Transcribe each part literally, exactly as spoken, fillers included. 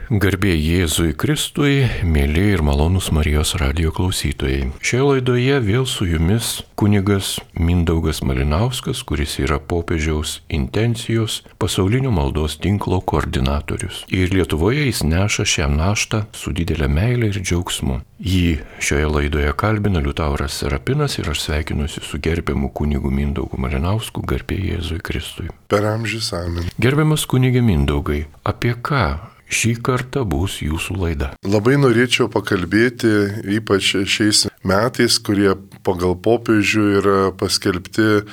Garbė Jėzui Kristui, mėly ir malonūs Marijos radijo klausytojai. Šioje laidoje vėl su jumis kunigas Mindaugas Malinauskas, kuris yra popiežiaus intencijos pasaulinio maldos tinklo koordinatorius. Ir Lietuvoje jis neša šią naštą su didelė meilė ir džiaugsmu. Jį šioje laidoje kalbina Liutauras Serapinas ir aš sveikinuosi su gerbiamu kunigu Mindaugu Malinausku, garbė Jėzui Kristui. Per amžius amen. Gerbiamas kunige Mindaugai, apie ką šį kartą bus jūsų laida? Labai norėčiau pakalbėti, ypač šiais metais, kurie pagal popiežių yra paskelbti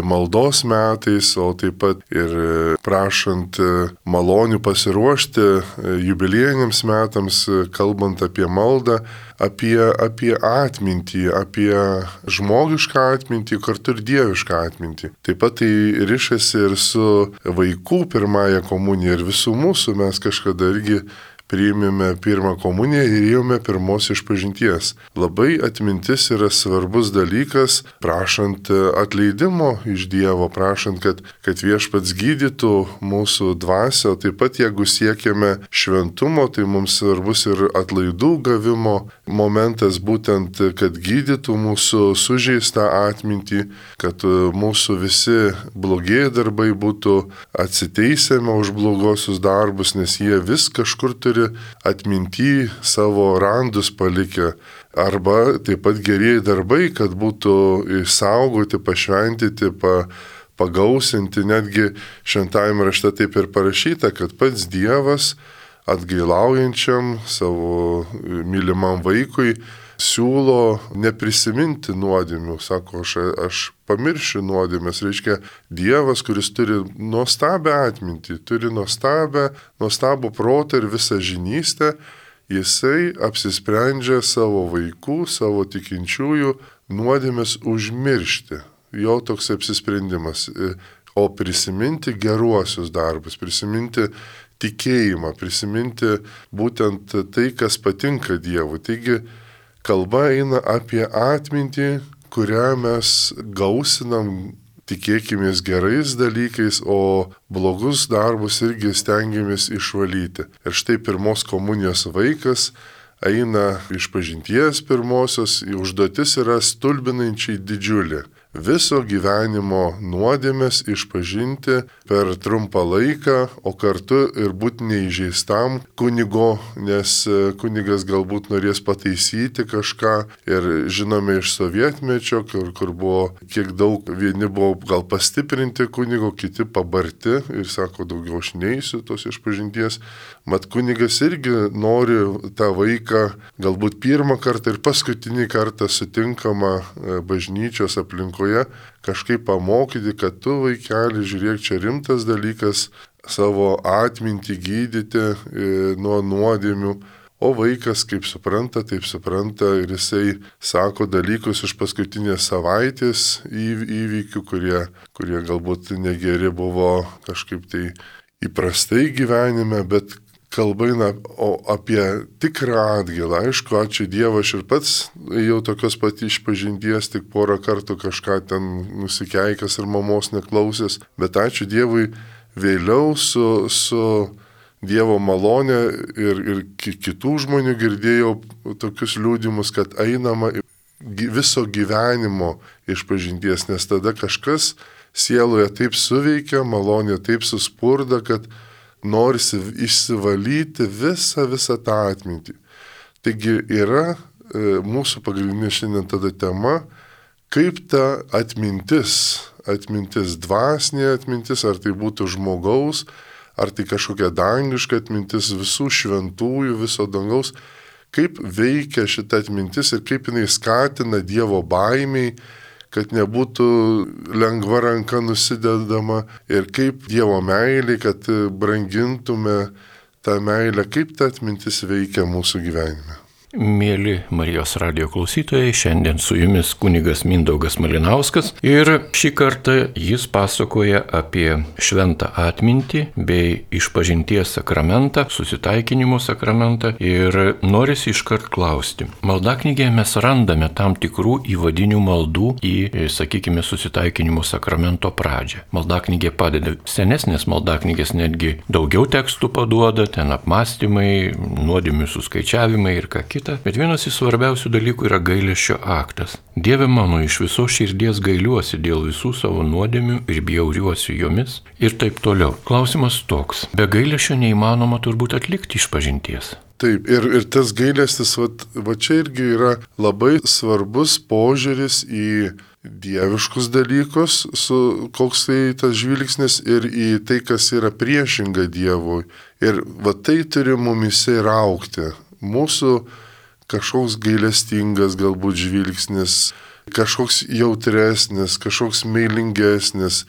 maldos metais, o taip pat ir prašant malonių pasiruošti jubiliejiniams metams, kalbant apie maldą, apie, apie atmintį, apie žmogišką atmintį, kartu ir dievišką atmintį. Taip pat tai rišasi ir su vaikų pirmąja komunija ir visų mūsų. Mes kažkada irgi priėmėme pirmą komuniją ir ėjome pirmos išpažinties. Labai atmintis yra svarbus dalykas, prašant atleidimo iš Dievo, prašant, kad, kad viešpats gydytų mūsų dvasią, taip pat jeigu siekiame šventumo, tai mums svarbus ir atlaidų gavimo momentas, būtent, kad gydytų mūsų sužeistą atmintį, kad mūsų visi blogieji darbai būtų atsiteisiami už blogosius darbus, nes jie vis kažkur turi atminty savo randus palikę, arba taip pat gerieji darbai, kad būtų išsaugoti, pašventyti, pa, pagausinti. Netgi šventajame rašte taip ir parašyta, kad pats Dievas atgailaujančiam savo mylimam vaikui siūlo neprisiminti nuodėmių. Sako, aš, aš pamiršiu nuodėmės. Reiškia, Dievas, kuris turi nuostabią atmintį, turi nuostabią, nuostabų protą ir visą žinystę, jisai apsisprendžia savo vaikų, savo tikinčiųjų nuodėmės užmiršti. Jo toks apsisprendimas. O prisiminti geruosius darbus, prisiminti tikėjimą, prisiminti būtent tai, kas patinka Dievui. Taigi, kalba eina apie atmintį, kurią mes gausinam, tikėkimės gerais dalykais, o blogus darbus irgi stengiamės išvalyti. Ir štai pirmos komunijos vaikas eina išpažinties pirmosios, užduotis yra stulbinančiai didžiulė. Viso gyvenimo nuodėmės išpažinti per trumpą laiką, o kartu ir būti neįžeistam kunigo, nes kunigas galbūt norės pataisyti kažką. Ir žinome iš sovietmečio, kur, kur buvo kiek daug, vieni buvo gal pastiprinti kunigo, kiti pabarti ir sako, daugiau aš neisiu tos išpažinties. Mat kunigas irgi nori tą vaiką galbūt pirmą kartą ir paskutinį kartą sutinkamą bažnyčios aplinkoje kažkaip pamokyti, kad tu, vaikeli, žiūrėk, čia rimtas dalykas savo atmintį gydyti e, nuo nuodėmių. O vaikas, kaip supranta, taip supranta ir jisai sako dalykus iš paskutinės savaitės įvykių, kurie, kurie galbūt negeri buvo kažkaip tai įprastai gyvenime, bet kalba eina apie tikrą atgailą. Aišku, ačiū Dievui, aš ir pats jau tokios pat išpažinties, tik porą kartų kažką ten nusikeikęs ir mamos neklausęs, bet ačiū Dievui, vėliau su, su Dievo malonė ir, ir kitų žmonių girdėjau tokius liudimus, kad einama viso gyvenimo išpažinties, nes tada kažkas sieloje taip suveikia, malonė taip suspurda, kad norisi išsivalyti visą, visą tą atmintį. Taigi yra e, mūsų pagrindinė šiandien tada tema, kaip ta atmintis, atmintis dvasinė atmintis, ar tai būtų žmogaus, ar tai kažkokia dangiška atmintis visų šventųjų, viso dangaus, kaip veikia šita atmintis ir kaip jinai skatina Dievo baimiai, kad nebūtų lengva ranka nusidedama ir kaip Dievo meilė, kad brangintume tą meilę, kaip ta atmintis veikia mūsų gyvenime. Mėly Marijos radijo klausytojai, šiandien su jumis kunigas Mindaugas Malinauskas ir šį kartą jis pasakoja apie šventą atmintį bei išpažinties sakramentą, susitaikinimo sakramentą ir norisi iškart klausti. Maldaknygėje mes randame tam tikrų įvadinių maldų į, sakykime, susitaikinimo sakramento pradžią. Maldaknygė padeda, senesnės maldaknygės netgi daugiau tekstų paduoda, ten apmąstymai, nuodėmių suskaičiavimai ir ką kita. Bet vienas iš svarbiausių dalykų yra gailesčio aktas. Dieve mano, iš visos širdies gailiuosi dėl visų savo nuodėmių ir bjauriuosi jomis ir taip toliau. Klausimas toks. Be gailesčio neįmanoma turbūt atlikti išpažinties. Taip, ir, ir tas gailestis, va, va čia irgi yra labai svarbus požiūris į dieviškus dalykus, su, koks tai tas žvilgsnis ir į tai, kas yra priešinga Dievui. Ir va tai turi mumise ir augti. Mūsų kažkoks gailestingas galbūt žvilgsnis, kažkoks jautresnis, kažkoks meilingesnis,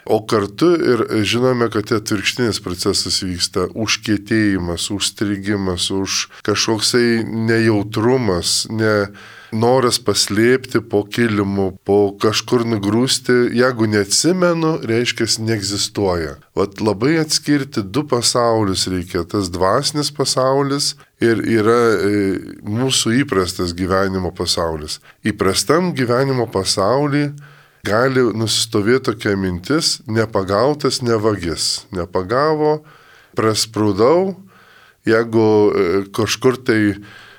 o kartu ir žinome, kad atvirkštinis procesas vyksta, užkietėjimas, užstrigimas, už kažkoksai nejautrumas, ne noras paslėpti po kilimu, po kažkur nugrūsti, jeigu neatsimenu, reiškia, neegzistuoja. Vat labai atskirti du pasaulius reikia, tas dvasinis pasaulis ir yra e, mūsų įprastas gyvenimo pasaulis. Įprastam gyvenimo pasauly gali nusistovėti tokia mintis, nepagautas nevagis. Nepagavo, prasprūdau, jeigu e, kažkur tai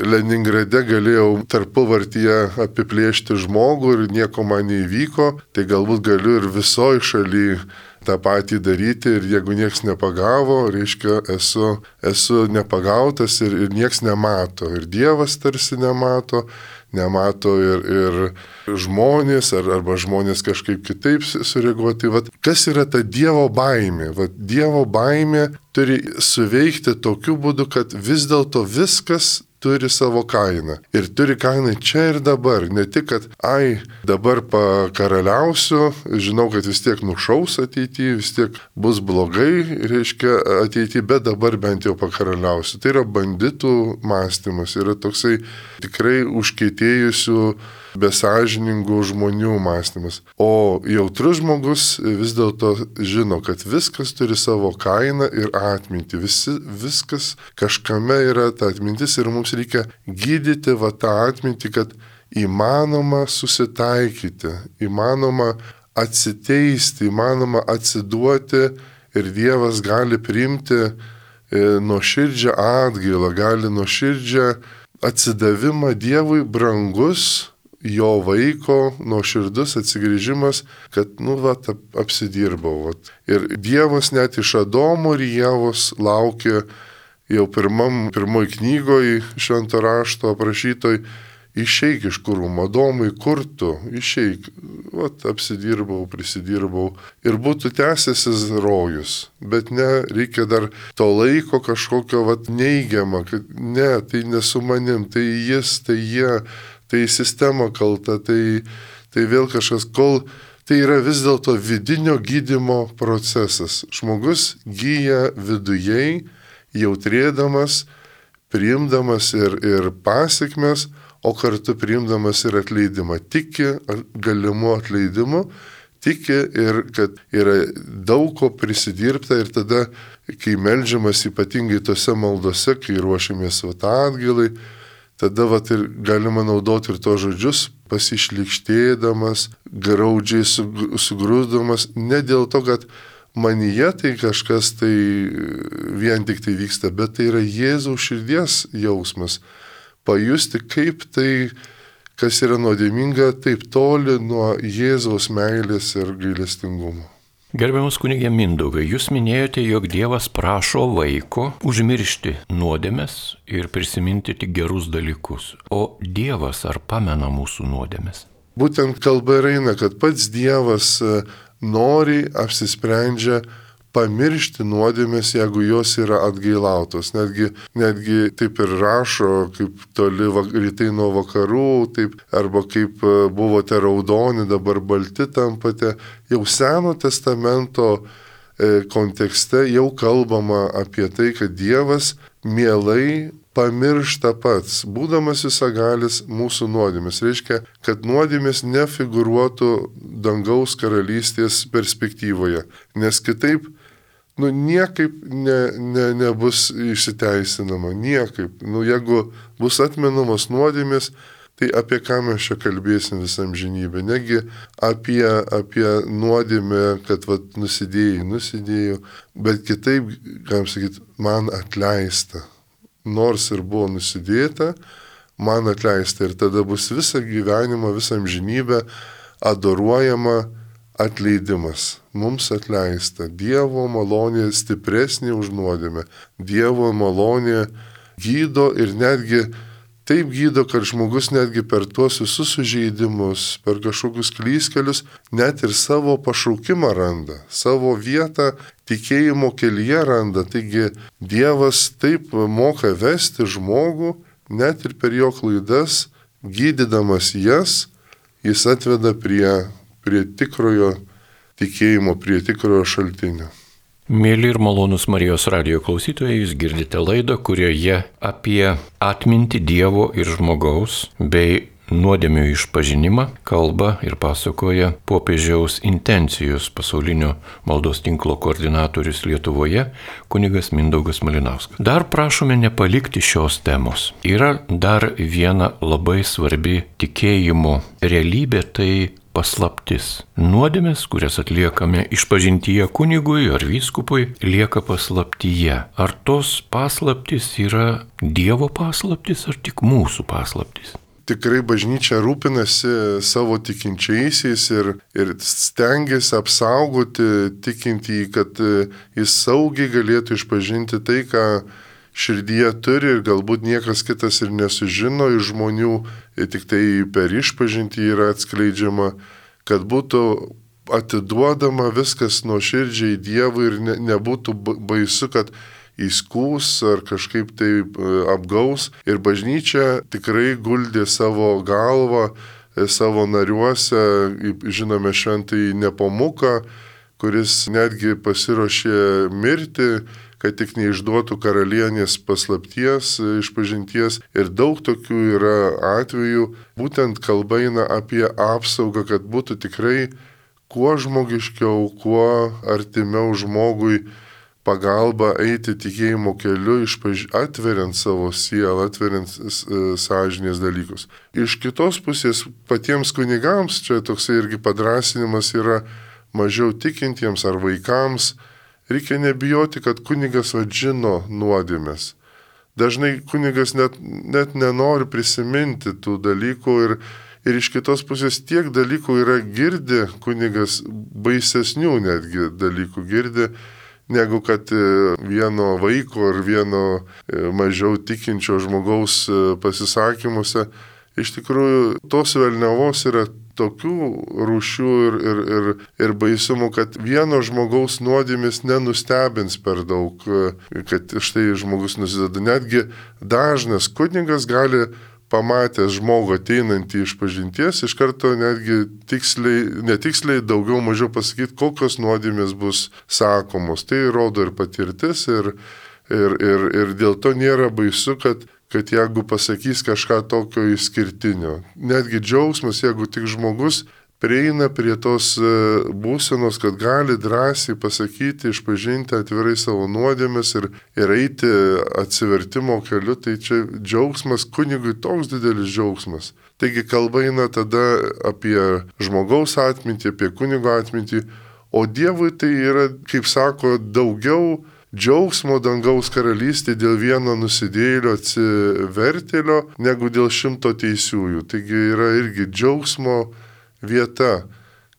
Leningrade galėjau tarpuvartyje apiplėšti žmogų ir nieko man neįvyko, tai galbūt galiu ir visoje šalyje tą patį daryti ir jeigu nieks nepagavo, reiškia, esu, esu nepagautas ir, ir nieks nemato. Ir Dievas tarsi nemato, nemato ir, ir žmonės, ar, arba žmonės kažkaip kitaip sureaguoti. Vat, kas yra ta Dievo baimė? Vat, Dievo baimė turi suveikti tokiu būdu, kad vis dėlto viskas turi savo kainą. Ir turi kainą čia ir dabar. Ne tik, kad, ai, dabar pakaraliausiu, žinau, kad vis tiek nušaus ateityje, vis tiek bus blogai, reiškia, ateityje, bet dabar bent jau pakaraliausiu. Tai yra banditų mąstymas, yra toksai tikrai užkietėjusių, besažiningų žmonių mąstymas. O jautrus žmogus vis dėlto žino, kad viskas turi savo kainą ir atmintį. Visi, viskas kažkame yra ta atmintis ir mums reikia gydyti va tą atmintį, kad įmanoma susitaikyti, įmanoma atsiteisti, įmanoma atsiduoti ir Dievas gali priimti e, nuoširdžią atgailą, gali nuoširdžią atsidavimą Dievui brangus jo vaiko nuoširdus atsigrįžimas, kad, nu, va, apsidirbau. Va. Ir Dievas net iš Adomo ir Ievos laukė jau pirmam, pirmoj knygoj švento rašto aprašytoj, išeik iš kūrumo, Adomai, kur tu, išeik, va, apsidirbau, prisidirbau ir būtų tęsęsis rojus. Bet ne, reikia dar to laiko kažkokio, va, neigiamą, kad ne, tai nesu manim, tai jis, tai jie, tai sistema kalta, tai, tai vėl kažkas, kol tai yra vis dėlto vidinio gydymo procesas. Žmogus gyja vidujei, jautrėdamas, priimdamas ir, ir pasiekmes, o kartu priimdamas ir atleidimą. Tiki galimu atleidimu, tiki ir kad yra daug ko prisidirbta ir tada, kai meldžiamas ypatingai tose maldose, kai ruošiamės vat atgailai, tada vat ir galima naudoti ir to žodžius, pasišlikštėdamas, graudžiai sugrūsdamas, ne dėl to, kad manyje tai kažkas tai vien tik tai vyksta, bet tai yra Jėzaus širdies jausmas. Pajusti, kaip tai, kas yra nuodėminga, taip toli nuo Jėzaus meilės ir gailestingumo. Gerbiamas kunige Mindaugai, jūs minėjote, jog Dievas prašo vaiko užmiršti nuodėmes ir prisiminti tik gerus dalykus. O Dievas ar pamena mūsų nuodėmes? Būtent kalba ir eina, kad pats Dievas nori, apsisprendžia pamiršti nuodėmes, jeigu jos yra atgailautos. Netgi, netgi taip ir rašo, kaip toli rytai nuo vakarų, taip, arba kaip buvote raudoni, dabar balti tampate. Jau Seno testamento e, kontekste jau kalbama apie tai, kad Dievas mielai pamiršta pats, būdamas visagalis mūsų nuodėmės. Reiškia, kad nuodėmės nefigūruotų dangaus karalystės perspektyvoje, nes kitaip, nu, niekaip ne, ne, nebus išsiteisinama, niekaip. Nu, jeigu bus atmenamos nuodėmės, tai apie ką mes čia kalbėsim visam žinybę? Negi apie, apie nuodėmę, kad vat, nusidėjai, nusidėjau, bet kitaip, galim sakyti, man atleista. Nors ir buvo nusidėta, man atleista. Ir tada bus visą gyvenimą, visą žinybę adoruojama atleidimas. Mums atleista. Dievo malonė stipresnė už nuodėmę. Dievo malonė gydo ir netgi taip gydo, kad žmogus netgi per tuos visus sužeidimus, per kažkokius klystkelius, net ir savo pašaukimą randa, savo vietą tikėjimo kelyje randa. Taigi Dievas taip moka vesti žmogų, net ir per jo klaidas, gydydamas jas, jis atveda prie, prie tikrojo tikėjimo, prie tikrojo šaltinio. Mėly ir malonūs Marijos radijo klausytojai, jūs girdite laidą, kurioje apie atmintį Dievo ir žmogaus bei nuodėmių išpažinimą kalba ir pasakoja popiežiaus intencijos pasaulinio maldos tinklo koordinatorius Lietuvoje kunigas Mindaugas Malinauskas. Dar prašome nepalikti šios temos. Yra dar viena labai svarbi tikėjimo realybė, tai paslaptis. Nuodėmės, kurias atliekame išpažintyje kunigui ar vyskupui, lieka paslaptyje. Ar tos paslaptis yra Dievo paslaptis ar tik mūsų paslaptis? Tikrai bažnyčia rūpinasi savo tikinčiaisiais ir, ir stengiasi apsaugoti tikintįjį, kad jis saugiai galėtų išpažinti tai, ką širdyje turi ir galbūt niekas kitas ir nesužino iš žmonių, tik tai per išpažintį yra atskleidžiama, kad būtų atiduodama viskas nuoširdžiai Dievui ir ne, nebūtų baisu, kad įskūs ar kažkaip tai apgaus. Ir bažnyčia tikrai guldė savo galvą, savo nariuose, žinome šventąjį Nepomuką, kuris netgi pasiruošė mirti, kad tik neišduotų karalienės paslapties, išpažinties. Ir daug tokių yra atvejų. Būtent kalba eina apie apsaugą, kad būtų tikrai kuo žmogiškiau, kuo artimiau žmogui pagalba eiti tikėjimo keliu, išpaž... atveriant savo sielą, atveriant sąžinės dalykus. Iš kitos pusės patiems kunigams, čia toksai irgi padrasinimas yra mažiau tikintiems ar vaikams, reikia nebijoti, kad kunigas žino nuodėmes. Dažnai kunigas net, net nenori prisiminti tų dalykų ir, ir iš kitos pusės tiek dalykų yra girdi, kunigas baisesnių netgi dalykų girdi, negu kad vieno vaiko ar vieno mažiau tikinčio žmogaus pasisakymuose. Iš tikrųjų, tos velniavos yra tokių rūšių ir, ir, ir, ir baisumų, kad vieno žmogaus nuodėmės nenustebins per daug, kad štai žmogus nusideda. Netgi dažnas kunigas gali pamatęs žmogų ateinantį iš pažinties, iš karto netgi tiksliai, netiksliai daugiau mažiau pasakyti, kokios nuodėmės bus sakomos. Tai rodo ir patirtis ir, ir, ir, ir dėl to nėra baisu, kad kad jeigu pasakys kažką tokio išskirtinio. Netgi džiaugsmas, jeigu tik žmogus prieina prie tos būsenos, kad gali drąsiai pasakyti, išpažinti atvirai savo nuodėmes ir, ir eiti atsivertimo keliu, tai čia džiaugsmas kunigui toks didelis džiaugsmas. Taigi kalba eina tada apie žmogaus atmintį, apie kunigo atmintį, o Dievui tai yra, kaip sako, daugiau džiaugsmo dangaus karalystė dėl vieno nusidėjėlio atsivertėlio, negu dėl šimto teisiųjų. Taigi yra irgi džiaugsmo vieta,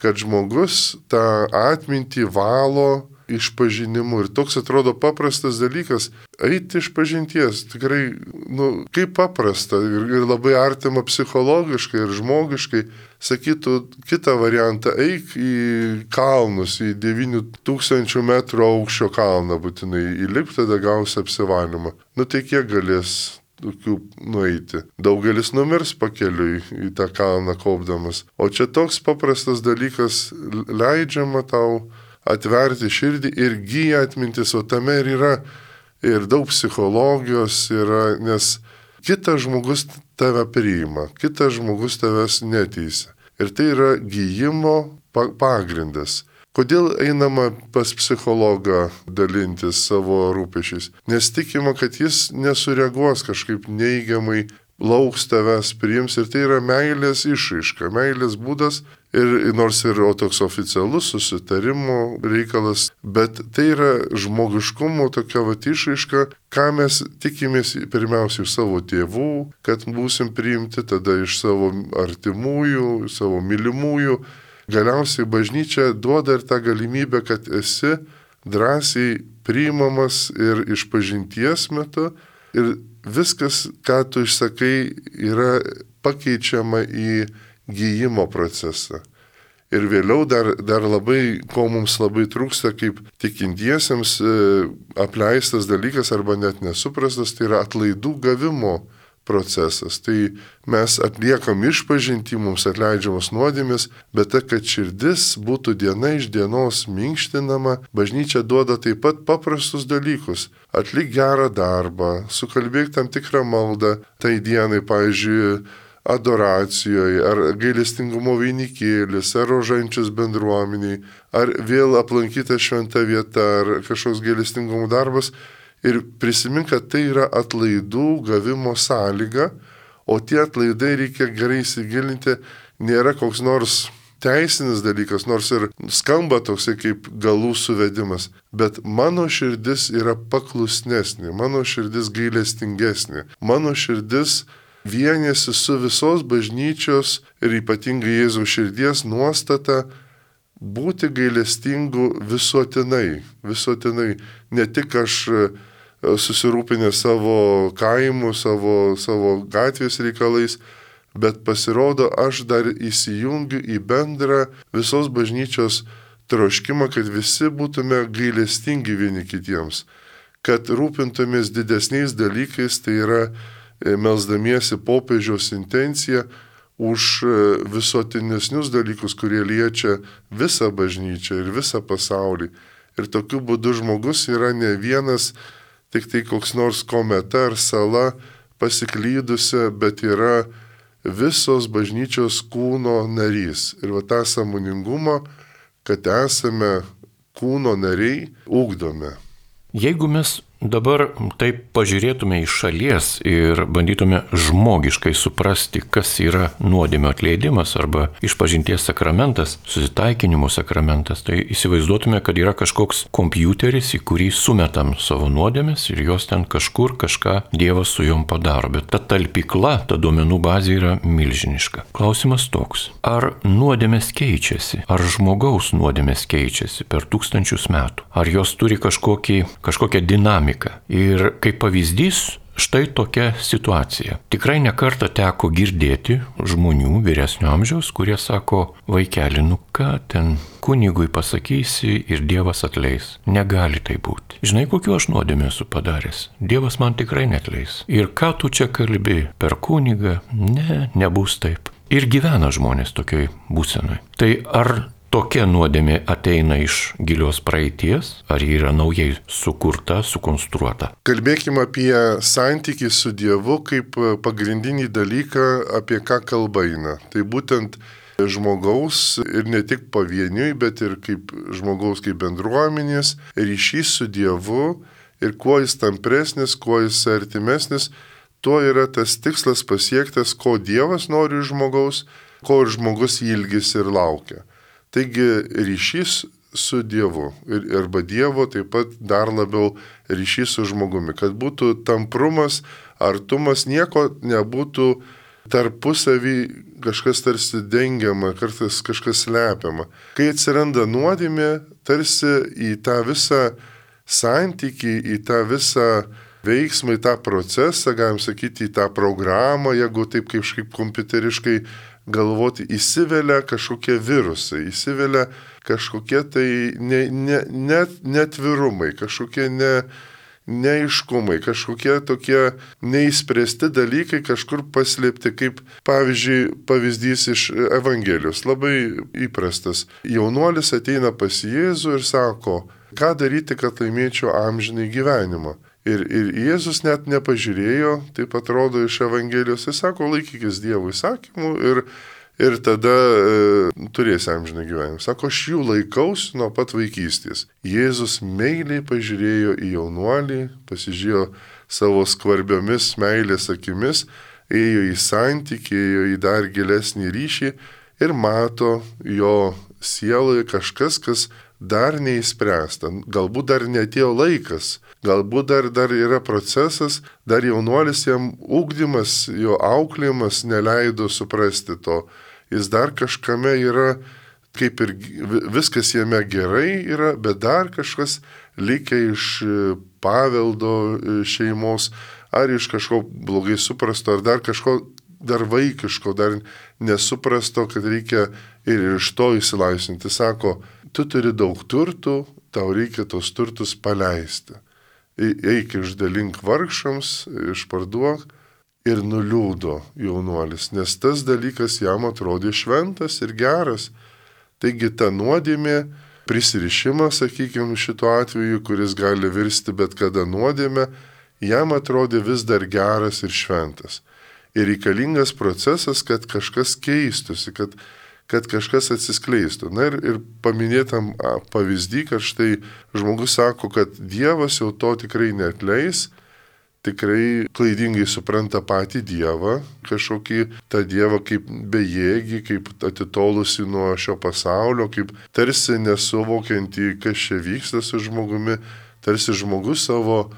kad žmogus tą atmintį valo išpažinimu. Ir toks atrodo paprastas dalykas - eiti išpažinties. Tikrai, nu, kaip paprasta ir, ir labai artima psichologiškai ir žmogiškai. Sakytų kitą variantą, eik į kalnus, į devynių tūkstančių metrų aukščio kalną būtinai, įlip, tada gausi apsivalymą. Nu tai kiek galės tokių nueiti? Daugelis numirs pakeliui į tą kalną kopdamas. O čia toks paprastas dalykas, leidžiama tau atverti širdį ir gyja atmintis, o tame ir yra ir daug psichologijos yra, nes kitas žmogus tave priima, kitas žmogus tavęs neteisia. Ir tai yra gyjimo pagrindas. Kodėl einama pas psichologą dalintis savo rūpešiais? Nes tikima, kad jis nesureaguos kažkaip neigiamai, lauks tavęs, priims ir tai yra meilės išraiška, meilės būdas. Ir nors ir toks oficialus susitarimo reikalas, bet tai yra žmogiškumo tokia vat išraiška, ką mes tikimės pirmiausia iš savo tėvų, kad būsim priimti, tada iš savo artimųjų, savo mylimųjų. Galiausiai bažnyčia duoda ir tą galimybę, kad esi drąsiai priimamas ir išpažinties metu ir viskas, ką tu išsakai, yra pakeičiama į gyjimo procesą. Ir vėliau dar, dar labai, ko mums labai trūksta, kaip tikintiesiems e, apleistas dalykas arba net nesuprastas, tai yra atlaidų gavimo procesas. Tai mes atliekam išpažintį, mums atleidžiamos nuodėmės, bet ta, kad širdis būtų diena iš dienos minkštinama, bažnyčia duoda taip pat paprastus dalykus. Atlik gerą darbą, sukalbėk tam tikrą maldą tai dienai, pavyzdžiui, adoracijoje, ar gailestingumo vainikėlis, ar rožančius bendruomeniai, ar vėl aplankyta šventa vieta, ar kažkoks gailestingumo darbas. Ir prisimink, kad tai yra atlaidų gavimo sąlyga, o tie atlaidai reikia gerai įsigilinti, nėra koks nors teisinis dalykas, nors ir skamba toksai kaip galų suvedimas, bet mano širdis yra paklusnesnė, mano širdis gailestingesnė, mano širdis vienėsi su visos bažnyčios ir ypatingai Jėzaus širdies nuostata būti gailestingu visuotinai, visuotinai, ne tik aš susirūpinę savo kaimu, savo, savo gatvės reikalais, bet pasirodo, aš dar įsijungiu į bendrą visos bažnyčios troškimą, kad visi būtume gailestingi vieni kitiems, kad rūpintumės didesniais dalykais, tai yra melsdamiesi popiežiaus intenciją už visuotinesnius dalykus, kurie liečia visą bažnyčią ir visą pasaulį. Ir tokiu būdu žmogus yra ne vienas, tik tai koks nors kometa ar sala pasiklydusi, bet yra visos bažnyčios kūno narys. Ir va tą sąmoningumą, kad esame kūno nariai, ugdome. Jeigu mes dabar taip pažiūrėtume iš šalies ir bandytume žmogiškai suprasti, kas yra nuodėmio atleidimas arba išpažinties sakramentas, susitaikinimo sakramentas, tai įsivaizduotume, kad yra kažkoks kompiuteris, į kurį sumetam savo nuodėmes ir jos ten kažkur kažką Dievas su jom padaro. Bet ta talpykla, ta duomenų bazė yra milžiniška. Klausimas toks. Ar nuodėmės keičiasi? Ar žmogaus nuodėmės keičiasi per tūkstančius metų? Ar jos turi kažkokį, kažkokią dinamiką? Ir kaip pavyzdys, štai tokia situacija. Tikrai nekartą teko girdėti žmonių vyresnio amžiaus, kurie sako, vaikeli, nu ką ten kunigui pasakysi ir Dievas atleis. Negali tai būti. Žinai, kokiu aš nuodėmę esu padaręs? Dievas man tikrai neatleis. Ir ką tu čia kalbi per kunigą? Ne, nebus taip. Ir gyvena žmonės tokioj būsenoj. Tai ar tokia nuodėmė ateina iš gilios praeities, ar ji yra naujai sukurta, sukonstruota? Kalbėkime apie santykį su Dievu kaip pagrindinį dalyką, apie ką kalba eina. Tai būtent žmogaus ir ne tik pavieniui, bet ir kaip žmogaus kaip bendruomenės ryšys su Dievu ir kuo jis tampresnis, kuo jis artimesnis, tuo yra tas tikslas pasiektas, ko Dievas nori iš žmogaus, ko ir žmogus ilgisi ir laukia. Taigi ryšys su Dievu ir, arba Dievo taip pat dar labiau ryšys su žmogumi, kad būtų tamprumas, artumas, nieko nebūtų tarpusavį kažkas tarsi dengiama, kartais kažkas slepiama. Kai atsiranda nuodėmė, tarsi į tą visą santykį, į tą visą veiksmą, į tą procesą, galim sakyti, į tą programą, jeigu taip kažkaip kompiuteriškai galvoti, įsivelia kažkokie virusai, įsivelia kažkokie tai ne, ne, net, netvirumai, kažkokie ne, neaiškumai, kažkokie tokie neįspręsti dalykai kažkur paslėpti, kaip pavyzdžiui, pavyzdys iš Evangelijos, labai įprastas. Jaunuolis ateina pas Jėzų ir sako, ką daryti, kad laimėčiau amžinai gyvenimą. Ir, ir Jėzus net nepažiūrėjo, taip atrodo iš Evangelijos, jis sako, laikykis Dievo įsakymų ir, ir tada e, turėsi amžiną gyvenimą. Sako, aš jų laikausi nuo pat vaikystės. Jėzus meiliai pažiūrėjo į jaunuolį, pasižiūrėjo savo skvarbiomis meilės akimis, ėjo į santykį, ėjo į dar gilesnį ryšį ir mato jo sieloje kažkas, kas dar neįspręsta. Galbūt dar netėjo laikas, galbūt dar, dar yra procesas, dar jaunuolis jam ugdymas, jo auklėjimas neleido suprasti to. Jis dar kažkame yra, kaip ir viskas jame gerai yra, bet dar kažkas likę iš paveldo šeimos, ar iš kažko blogai suprasto, ar dar kažko dar vaikiško, dar nesuprasto, kad reikia ir iš to įsilaisvinti. Sako, tu turi daug turtų, tau reikia tos turtus paleisti. Eik išdalink vargšams, išparduok ir nuliūdo jaunuolis, nes tas dalykas jam atrodė šventas ir geras. Taigi ta nuodėmė, prisirišimas, sakykime, šituo atveju, kuris gali virsti bet kada nuodėmę, jam atrodė vis dar geras ir šventas. Ir reikalingas procesas, kad kažkas keistusi, kad, kad kažkas atsiskleistų. Na ir, ir paminėtam pavyzdį, kad štai žmogus sako, kad Dievas jau to tikrai neatleis, tikrai klaidingai supranta patį Dievą, kažkokį tą Dievą kaip bejėgį, kaip atitolusi nuo šio pasaulio, kaip tarsi nesuvokiantį, kas čia vyksta su žmogumi, tarsi žmogus savo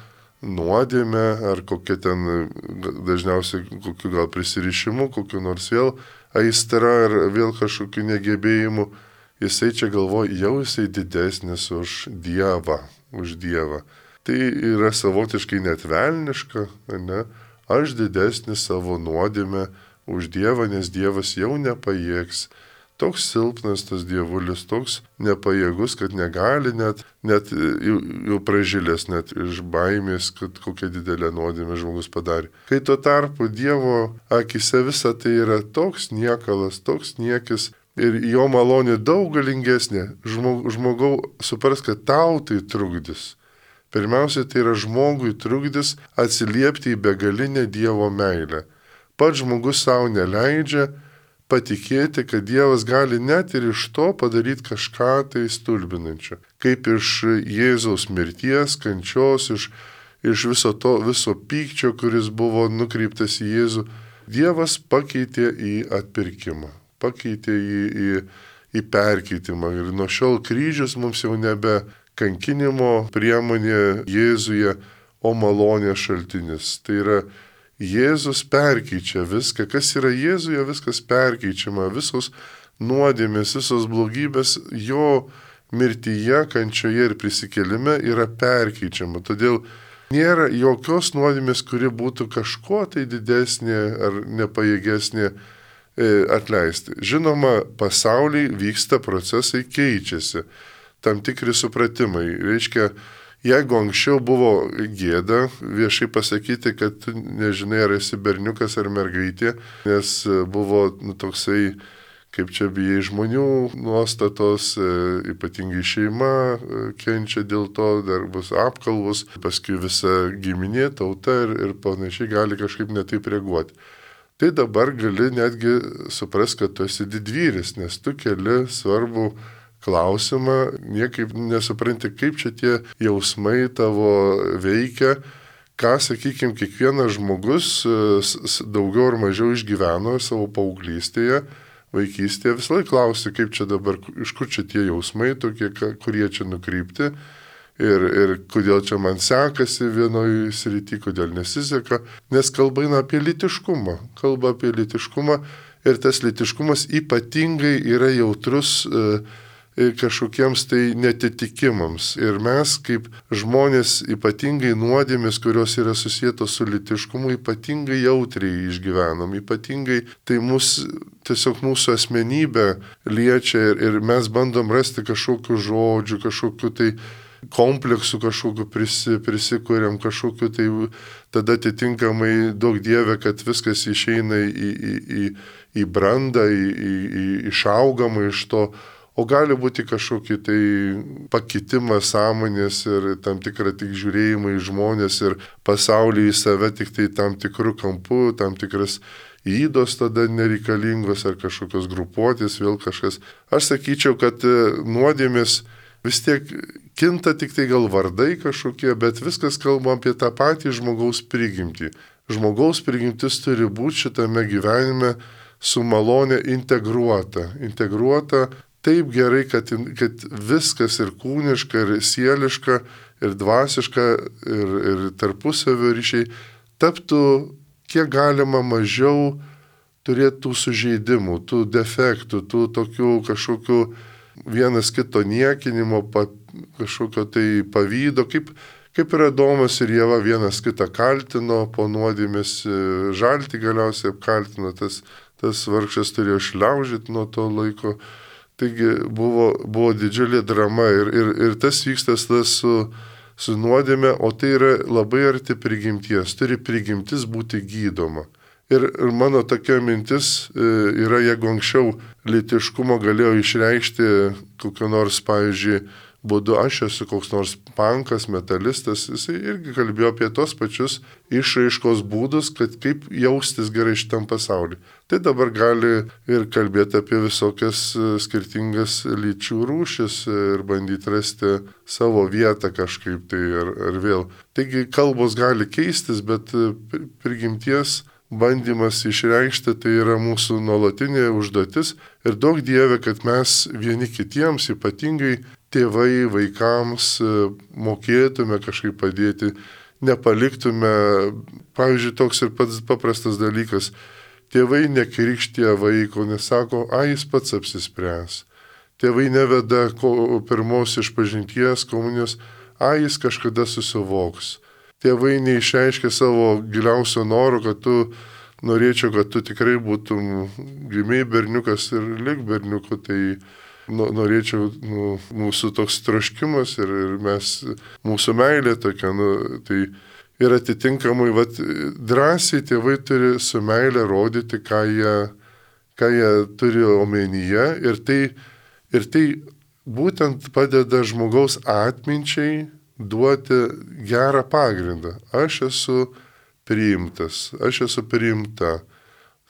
nuodėmę ar kokia ten dažniausiai kokiu gal prisirišimu, kokiu nors vėl aistra ar vėl kažkokiu negebėjimu, jisai čia galvoja, jau jisai didesnis už Dievą, už Dievą. Tai yra savotiškai net velniška, ne? Aš didesnis savo nuodėmę už Dievą, nes Dievas jau nepajėgs. Toks silpnas tas dievulis, toks nepajėgus, kad negali net, net jau, jau pražilęs net iš baimės, kad kokia didelė nuodėmė žmogus padarė. Kai tuo tarpu Dievo akise visa tai yra toks niekalas, toks niekis ir jo malonė daug galingesnė. Žmog, žmogau supras, kad tau tai trukdys. Pirmiausia, tai yra žmogui trukdys atsiliepti į begalinę Dievo meilę. Pats žmogus savo neleidžia patikėti, kad Dievas gali net ir iš to padaryti kažką tai stulbinančio. Kaip iš Jėzaus mirties, kančios, iš, iš viso to, viso pykčio, kuris buvo nukreiptas į Jėzų, Dievas pakeitė į atpirkimą, pakeitė į, į, į perkeitimą. Ir nuo šiol kryžius mums jau nebe kankinimo priemonė Jėzuje, o malonės šaltinis. Tai yra Jėzus perkeičia viską, kas yra Jėzuje, viskas perkeičiama, visos nuodėmės, visos blogybės jo mirtyje, kančioje ir prisikėlime yra perkeičiama. Todėl nėra jokios nuodėmės, kuri būtų kažko tai didesnė ar nepajėgesnė atleisti. Žinoma, pasaulyje vyksta procesai, keičiasi, tam tikri supratimai. Reiškia, jeigu anksčiau buvo gėda viešai pasakyti, kad tu nežinai, ar esi berniukas ar mergaitė, nes buvo nu, toksai, kaip čia bijai žmonių nuostatos, ypatingai šeima kenčia dėl to, dar bus apkalbos, paskui visa giminė, tauta ir, ir panašiai gali kažkaip netaip reaguoti. Tai dabar gali netgi supras, kad tu esi didvyris, nes tu keli svarbų klausimą, niekaip nesupranti, kaip čia tie jausmai tavo veikia, ką, sakykime, kiekvienas žmogus daugiau ar mažiau išgyveno savo paauglystėje, vaikystėje, visą laiką klausi, kaip čia dabar, iš kur čia tie jausmai tokie, kurie čia nukreipti ir, ir kodėl čia man sekasi vienoje srity, kodėl nesiseka, nes kalba eina apie lytiškumą, kalba apie lytiškumą ir tas lytiškumas ypatingai yra jautrus kažkokiems tai netitikimams. Ir mes kaip žmonės ypatingai nuodėmės, kurios yra susijęs su lytiškumu, ypatingai jautriai išgyvenam, ypatingai tai mus, tiesiog mūsų asmenybę liečia ir, ir mes bandom rasti kažkokių žodžių, kažkokių tai kompleksų, kažkokių prisi, prisikuriam, kažkokių tai tada atitinkamai daug Dieve, kad viskas išeina į, į, į, į brandą, į, į, į išaugamą iš to. o gali būti kažkokį tai pakitimą sąmonės ir tam tikrą tik žiūrėjimą į žmonės ir pasaulį į save tik tai tam tikrų kampų, tam tikras įdos tada nereikalingos ar kažkokios grupuotės, vėl kažkas. Aš sakyčiau, kad nuodėmės vis tiek kinta tik tai gal vardai kažkokie, bet viskas kalba apie tą patį žmogaus prigimtį. Žmogaus prigimtis turi būti šitame gyvenime su malonė integruota. Integruota taip gerai, kad, kad viskas ir kūniška, ir sieliška, ir dvasiška, ir, ir tarpusavio ryšiai taptų kiek galima mažiau turėti tų sužeidimų, tų defektų, tų tokių kažkokių vienas kito niekinimo, pa, kažkokio tai pavydo, kaip, kaip ir Adomas ir Ieva vienas kitą kaltino, po nuodėmės žaltį galiausiai apkaltino, tas, tas vargšas turėjo šliaužyti nuo to laiko. Taigi buvo, buvo didžiulė drama ir, ir, ir tas vyksta tas su, su nuodėme, o tai yra labai arti prigimties, turi prigimtis būti gydoma. Ir, ir mano tokia mintis yra, jeigu anksčiau lytiškumo galėjo išreikšti kokio nors, pavyzdžiui, būdu, aš esu koks nors pankas, metalistas, jisai irgi kalbėjo apie tos pačius išraiškos būdus, kad kaip jaustis gerai šitam pasauliu. Tai dabar gali ir kalbėti apie visokias skirtingas lyčių rūšis ir bandyti rasti savo vietą kažkaip tai ar, ar vėl. Taigi kalbos gali keistis, bet prigimties bandymas išreikšti tai yra mūsų nuolatinė užduotis ir daug Dieve, kad mes vieni kitiems, ypatingai tėvai, vaikams, mokėtume kažkaip padėti, nepaliktume, pavyzdžiui, toks ir pats paprastas dalykas, tėvai nekrikštė vaiko, nesako, a, jis pats apsispręs. Tėvai neveda ko, pirmos išpažinties komunijos, a, jis kažkada susivoks. Tėvai neišreiškia savo giliausio noro, kad tu norėčiau, kad tu tikrai būtum gimiai berniukas ir lik berniuku, tai nu, norėčiau, nu, mūsų toks troškimas ir, ir mes, mūsų meilė tokia, nu, tai ir atitinkamai, vat, drąsiai tėvai turi su meilė rodyti, ką jie, ką jie turi omenyje ir tai, ir tai būtent padeda žmogaus atminčiai duoti gerą pagrindą. Aš esu priimtas, aš esu priimta.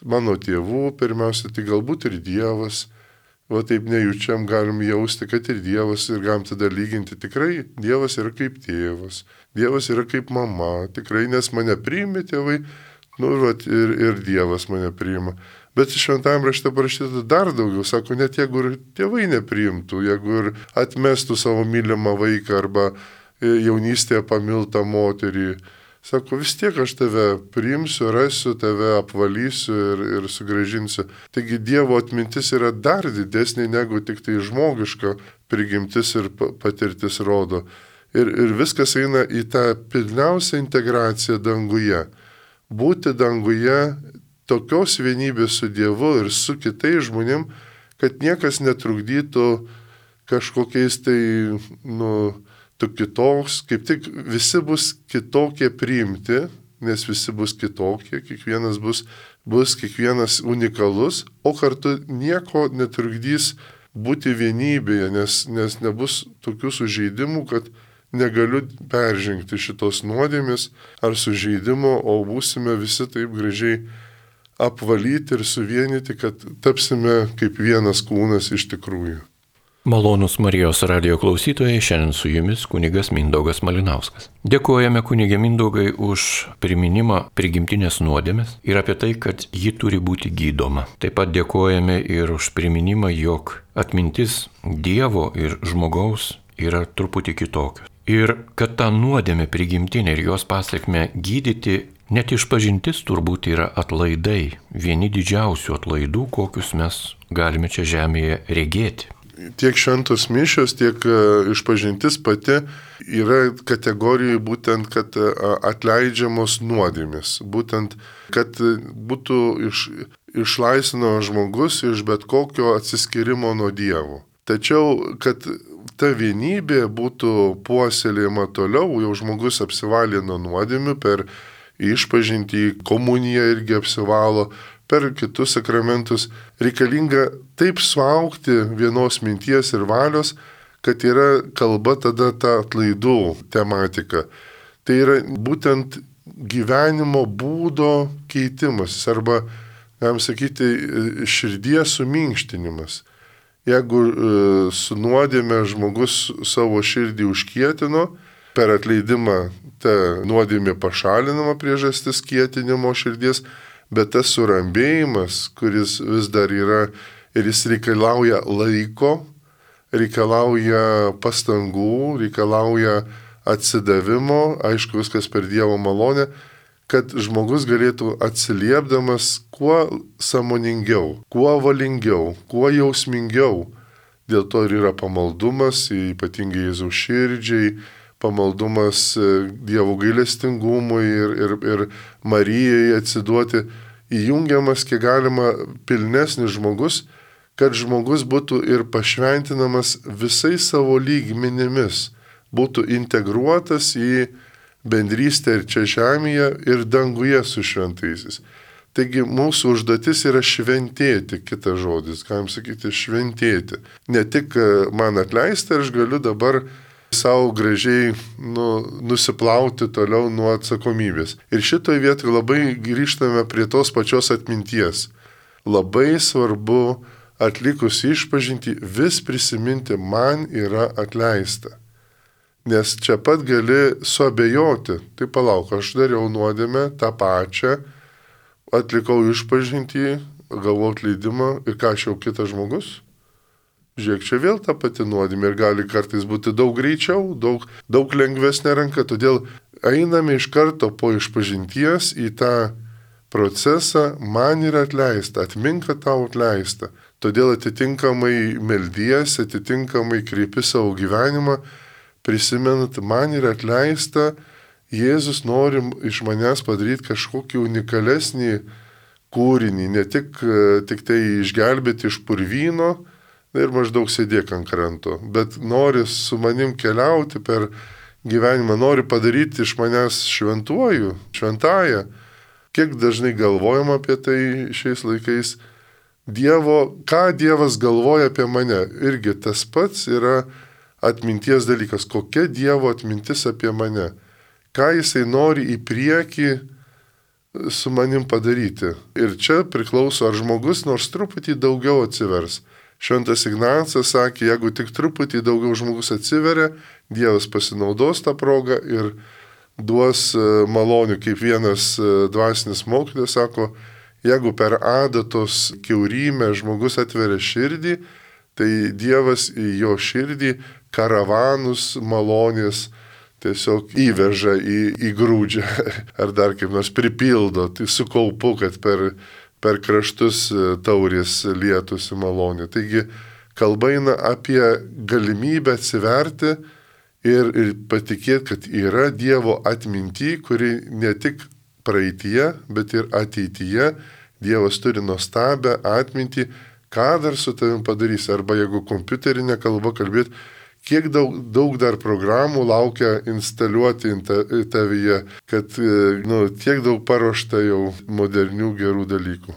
Mano tėvų pirmiausia, tai galbūt ir Dievas. Va taip nejučiam galim jausti, kad ir Dievas ir galim tada lyginti. Tikrai Dievas yra kaip tėvas, Dievas yra kaip mama. Tikrai, nes mane priimi tėvai, nu va ir, ir Dievas mane priima. Bet šventajame rašte parašyta dar daugiau. Sako, net jeigu ir tėvai nepriimtų, jeigu ir atmestų savo mylimą vaiką arba jaunystėje pamiltą moterį. Sako, vis tiek aš tave priimsiu, rasiu, tave apvalysiu ir, ir sugrąžinsiu. Taigi Dievo atmintis yra dar didesnė negu tik tai žmogiška prigimtis ir patirtis rodo. Ir, ir viskas eina į tą pilniausią integraciją danguje. Būti danguje tokios vienybės su Dievu ir su kitais žmonėm, kad niekas netrukdytų kažkokiais tai, nu, tu kitoks, kaip tik visi bus kitokie priimti, nes visi bus kitokie, kiekvienas bus, bus kiekvienas unikalus, o kartu nieko netrukdys būti vienybėje, nes, nes nebus tokių sužeidimų, kad negaliu peržengti šitos nuodėmės ar sužeidimo, o būsime visi taip gražiai apvalyti ir suvienyti, kad tapsime kaip vienas kūnas iš tikrųjų. Malonūs Marijos radijo klausytojai, šiandien su jumis kunigas Mindaugas Malinauskas. Dėkojame kunigė Mindaugai už priminimą prigimtinės nuodėmės ir apie tai, kad ji turi būti gydoma. Taip pat dėkojame ir už priminimą, jog atmintis Dievo ir žmogaus yra truputį kitokios. Ir kad tą nuodėmę prigimtinę ir jos pasiekmę gydyti, net išpažintis turbūt yra atlaidai, vieni didžiausių atlaidų, kokius mes galime čia žemėje regėti. Tiek šventos mišios, tiek išpažintis pati yra kategorijai būtent, kad atleidžiamos nuodėmės. Būtent, kad būtų iš, išlaisvinamas žmogus iš bet kokio atsiskyrimo nuo Dievo. Tačiau, kad ta vienybė būtų puoselėjama toliau, jau žmogus apsivalė nuo nuodėmių per išpažintį, komuniją irgi apsivalo, per kitus sakramentus, reikalinga taip suaugti vienos minties ir valios, kad yra kalba tada ta atlaidų tematika. Tai yra būtent gyvenimo būdo keitimas arba, galim sakyti, širdies suminkštinimas. Jeigu su nuodėme žmogus savo širdį užkietino, per atleidimą ta nuodėmė pašalinama priežastis kietinimo širdies, bet tas surambėjimas, kuris vis dar yra ir jis reikalauja laiko, reikalauja pastangų, reikalauja atsidavimo, aišku, viskas per Dievo malonę, kad žmogus galėtų atsiliepdamas kuo sąmoningiau, kuo valingiau, kuo jausmingiau. Dėl to ir yra pamaldumas, ypatingai Jėzaus širdžiai, pamaldumas Dievo gailestingumui ir, ir, ir Marijai atsiduoti, įjungiamas kiek galima pilnesnis žmogus, kad žmogus būtų ir pašventinamas visais savo lygmenimis, būtų integruotas į bendrystę ir čia žemėje, ir danguje su šventaisiais. Taigi mūsų užduotis yra šventėti, kitas žodis, galim sakyti, šventėti. Ne tik man atleisti, aš galiu dabar savo gražiai nu, nusiplauti toliau nuo atsakomybės. Ir šitoje vietoje labai grįžtame prie tos pačios atminties. Labai svarbu atlikus išpažintį vis prisiminti, man yra atleista. Nes čia pat gali suabejoti, tai palauk, aš dariau nuodėmę tą pačią, atlikau išpažintį, gavau atleidimą ir ką aš jau kitas žmogus? Žiūrėk, čia vėl ta pati nuodėmė ir gali kartais būti daug greičiau, daug, daug lengvesnė ranka, todėl einame iš karto po išpažinties į tą procesą, man yra atleista, atmink, kad tau atleista. Todėl atitinkamai meldiesi, atitinkamai kreipi savo gyvenimą, prisimenat, man yra atleista, Jėzus nori iš manęs padaryti kažkokį unikalesnį kūrinį, ne tik, tik tai išgelbėti iš purvyno ir maždaug sėdėk ant kranto, bet nori su manim keliauti per gyvenimą, nori padaryti iš manęs šventuoju, šventąją. Kiek dažnai galvojam apie tai šiais laikais, Dievo, ką Dievas galvoja apie mane, irgi tas pats yra atminties dalykas, kokia Dievo atmintis apie mane, ką Jisai nori į priekį su manim padaryti. Ir čia priklauso, ar žmogus nors truputį daugiau atsivers. Šventas Ignacas sakė, jeigu tik truputį daugiau žmogus atsiveria, Dievas pasinaudos tą progą ir duos malonių, kaip vienas dvasinis mokytojas sako, jeigu per adatos kiaurymę žmogus atveria širdį, tai Dievas į jo širdį karavanus malonės tiesiog įveža į, į grūdžią ar dar kaip nors pripildo, tai su kaupu, kad per, per kraštus taurės lietųsi malonė. Taigi kalba eina apie galimybę atsiverti ir, ir patikėti, kad yra Dievo atminty, kuri ne tik praeityje, bet ir ateityje Dievas turi nuostabią atmintį, ką dar su tavim padarys. Arba jeigu kompiuterinė kalba kalbėti, kiek daug, daug dar programų laukia instaliuoti tavyje, kad nu, tiek daug paruošta jau modernių gerų dalykų.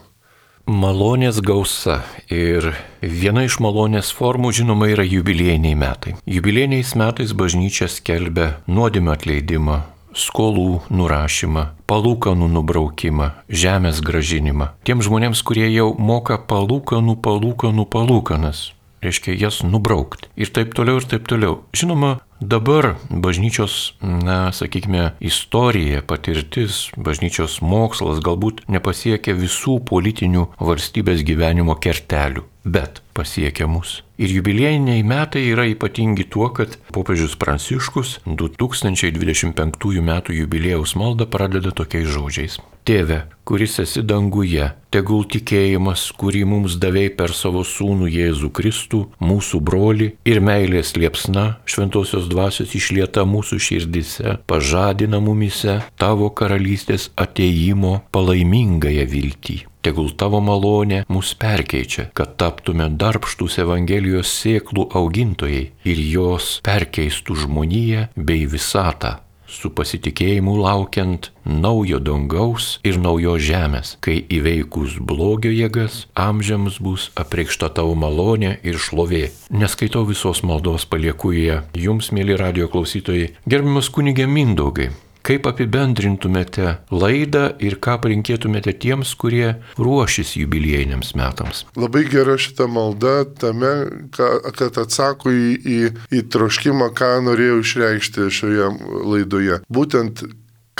Malonės gausa ir viena iš malonės formų, žinoma, yra jubiliejiniai metai. Jubiliejiniais metais bažnyčia skelbia nuodėmių atleidimą, skolų nurašymą, palūkanų nubraukimą, žemės gražinimą. Tiems žmonėms, kurie jau moka palūkanų, palūkanų, palūkanas, reiškia jas nubraukti. Ir taip toliau, ir taip toliau. Žinoma, dabar bažnyčios, na, sakykime, istorija, patirtis, bažnyčios mokslas galbūt nepasiekia visų politinių valstybės gyvenimo kertelių, bet pasiekia mus. Ir jubiliejiniai metai yra ypatingi tuo, kad popiežius Pranciškus du tūkstančiai dvidešimt penktųjų metų jubiliejaus maldą pradeda tokiais žodžiais. Tėve, kuris esi danguje, tegul tikėjimas, kurį mums davei per savo sūnų Jėzų Kristų, mūsų brolį ir meilės liepsna, šventosios dvasios išlieta mūsų širdise, pažadina mumise tavo karalystės ateimo palaimingąją viltį. Tegul tavo malonė mus perkeičia, kad taptume darbštūs Evangelijos sėklų augintojai ir jos perkeistų žmoniją bei visatą su pasitikėjimu laukiant naujo dangaus ir naujos žemės, kai įveikus blogio jėgas amžiams bus apreikšta tavo malonė ir šlovė. Neskaitau visos maldos, palieku ją jums, mėly radijo klausytojai. Gerbiamas kunige Mindaugai, kaip apibendrintumėte laidą ir ką palinkėtumėte tiems, kurie ruošis jubiliejiniams metams? Labai gera šita malda tame, kad atsako į, į, į troškimą, ką norėjau išreikšti šioje laidoje. Būtent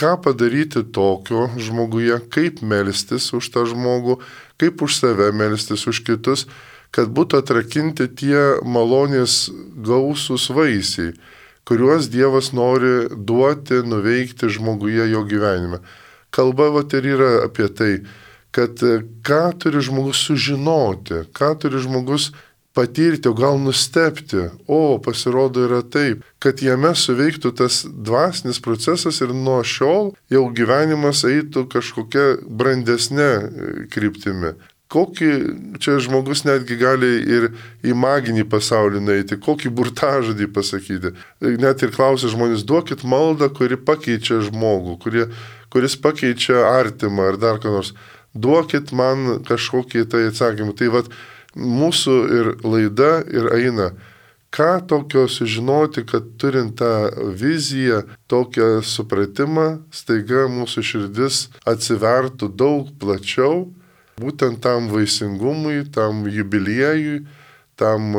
ką padaryti tokio žmoguje, kaip melstis už tą žmogų, kaip už save melstis už kitus, kad būtų atrakinti tie malonės gausūs vaisiai, kuriuos Dievas nori duoti, nuveikti žmoguje jo gyvenime. Kalba vat ir yra apie tai, kad ką turi žmogus sužinoti, ką turi žmogus patirti, o gal nustebti. O, pasirodo yra taip, kad jame suveiktų tas dvasinis procesas ir nuo šiol jau gyvenimas eitų kažkokia brandesnė kryptimi. Kokį čia žmogus netgi gali ir į maginį pasaulį nueiti, kokį burtažodį pasakyti. Net ir klausia žmonės, duokit maldą, kuri pakeičia žmogų, kurie, kuris pakeičia artimą ar dar ką nors. Duokit man kažkokį tai atsakymą. Tai vat mūsų ir laida ir eina. Ką tokio sužinoti, kad turint tą viziją, tokią supratimą, staiga mūsų širdis atsivertų daug plačiau, būtent tam vaisingumui, tam jubiliejui, tam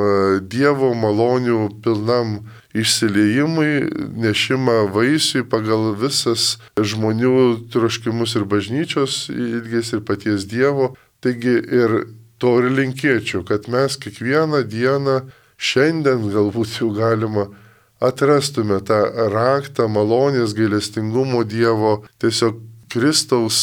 Dievo malonių pilnam išsiliejimui, nešimą vaisiui pagal visas žmonių troškimus ir bažnyčios ilgės ir paties Dievo. Taigi ir to ir linkėčiau, kad mes kiekvieną dieną, šiandien galbūt jau galima, atrastume tą raktą malonės gailestingumo Dievo, tiesiog Kristaus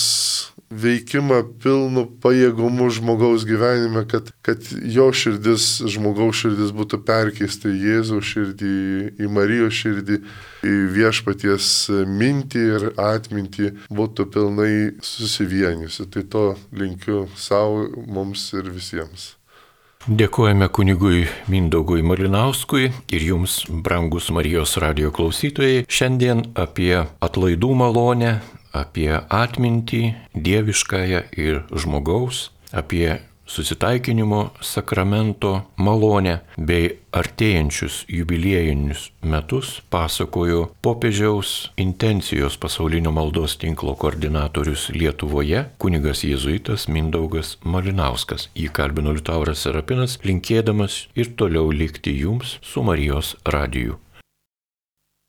veikimą pilnu pajėgumu žmogaus gyvenime, kad, kad jo širdis, žmogaus širdis būtų perkeista į Jėzaus širdį, į Marijos širdį, į viešpaties mintį ir atmintį būtų pilnai susivienijusi. Tai to linkiu savo, mums ir visiems. Dėkojame kunigui Mindaugui Malinauskui ir jums, brangus Marijos radijo klausytojai, šiandien apie atlaidų malonę, apie atmintį dieviškąją ir žmogaus, apie susitaikinimo sakramento malonę bei artėjančius jubiliejinius metus pasakojo popiežiaus intencijos pasaulinio maldos tinklo koordinatorius Lietuvoje, kunigas jėzuitas Mindaugas Malinauskas. Jį kalbino Liutauras Serapinas, linkėdamas ir toliau likti jums su Marijos radiju.